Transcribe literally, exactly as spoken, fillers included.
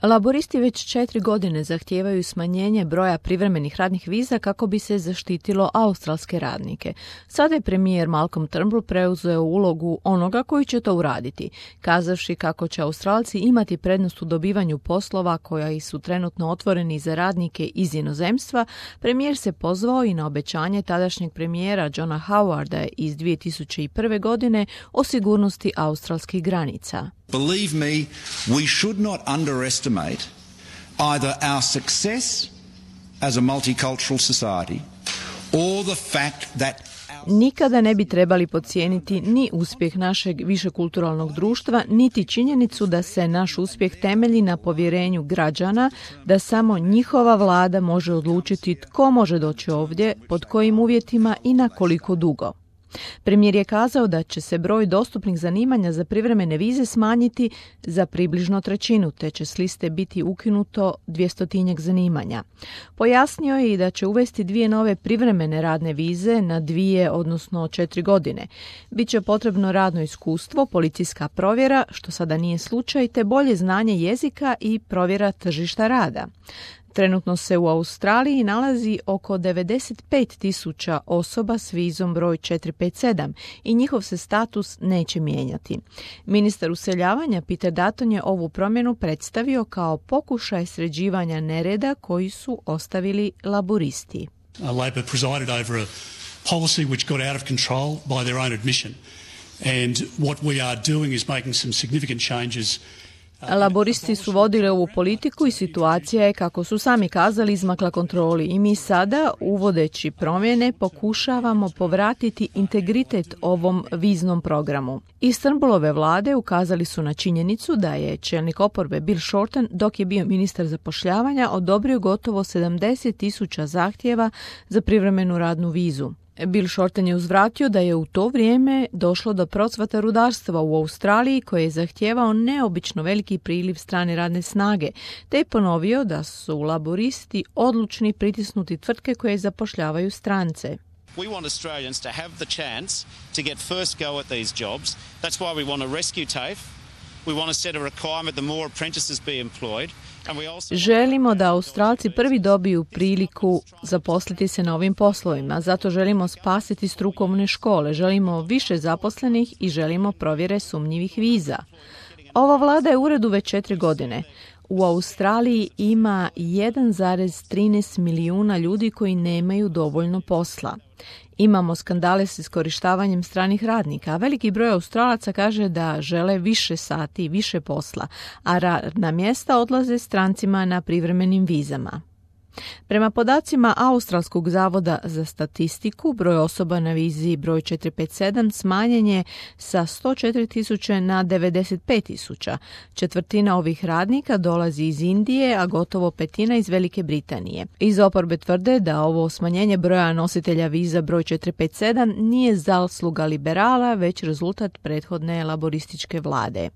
Laboristi već četiri godine zahtijevaju smanjenje broja privremenih radnih viza kako bi se zaštitilo australske radnike. Sada je premijer Malcolm Turnbull preuzeo ulogu onoga koji će to uraditi, kazavši kako će Australci imati prednost u dobivanju poslova koji su trenutno otvoreni za radnike iz inozemstva. Premijer se pozvao i na obećanje tadašnjeg premijera Johna Howarda iz dvije tisuće prve. godine o sigurnosti australskih granica. Believe me, we should not underestimate either our success as a multicultural society or the fact that Nikada ne bi trebali podcijeniti ni uspjeh našeg višekulturalnog društva, niti činjenicu da se naš uspjeh temelji na povjerenju građana, da samo njihova vlada može odlučiti tko može doći ovdje, pod kojim uvjetima i na koliko dugo. Premijer je kazao da će se broj dostupnih zanimanja za privremene vize smanjiti za približno trećinu, te će s liste biti ukinuto dvjestotinjak zanimanja. Pojasnio je i da će uvesti dvije nove privremene radne vize na dvije, odnosno četiri godine. Biće potrebno radno iskustvo, policijska provjera, što sada nije slučaj, te bolje znanje jezika i provjera tržišta rada. Trenutno se u Australiji nalazi oko devedeset pet tisuća osoba s vizom broj četiri pet sedam i njihov se status neće mijenjati. Ministar useljavanja Peter Dutton je ovu promjenu predstavio kao pokušaj sređivanja nereda koji su ostavili laboristi. Uh, Labor presided over a policy which got out of control by their own admission. And what we are doing is making some significant changes. Laboristi su vodili ovu politiku i situacija je, kako su sami kazali, izmakla kontroli i mi sada, uvodeći promjene, pokušavamo povratiti integritet ovom viznom programu. Iz Turnbullove vlade ukazali su na činjenicu da je čelnik oporbe Bill Shorten, dok je bio ministar zapošljavanja, odobrio gotovo sedamdeset tisuća zahtjeva za privremenu radnu vizu. Bill Shorten je uzvratio da je u to vrijeme došlo do procvata rudarstva u Australiji koji je zahtijevao neobično veliki priliv strane radne snage, te je ponovio da su laboristi odlučni pritisnuti tvrtke koje zapošljavaju strance. We want Australians to have the chance to get first go at these jobs. That's why we want to rescue TAFE. We want to set a requirement that more apprentices be employed. Želimo da Australci prvi dobiju priliku zaposliti se na ovim poslovima, zato želimo spasiti strukovne škole, želimo više zaposlenih i želimo provjere sumnjivih viza. Ova vlada je u uredu već četiri godine. U Australiji ima jedan zarez trinaest milijuna ljudi koji nemaju dovoljno posla. Imamo skandale s iskorištavanjem stranih radnika, a veliki broj Australaca kaže da žele više sati i više posla, a radna mjesta odlaze strancima na privremenim vizama. Prema podacima Australskog zavoda za statistiku, broj osoba na vizi broj četiri pet sedam smanjen je sa sto četiri tisuće na devedeset pet tisuća. Četvrtina ovih radnika dolazi iz Indije, a gotovo petina iz Velike Britanije. Iz oporbe tvrde da ovo smanjenje broja nositelja viza broj četiri pet sedam nije zasluga liberala, već rezultat prethodne laborističke vlade.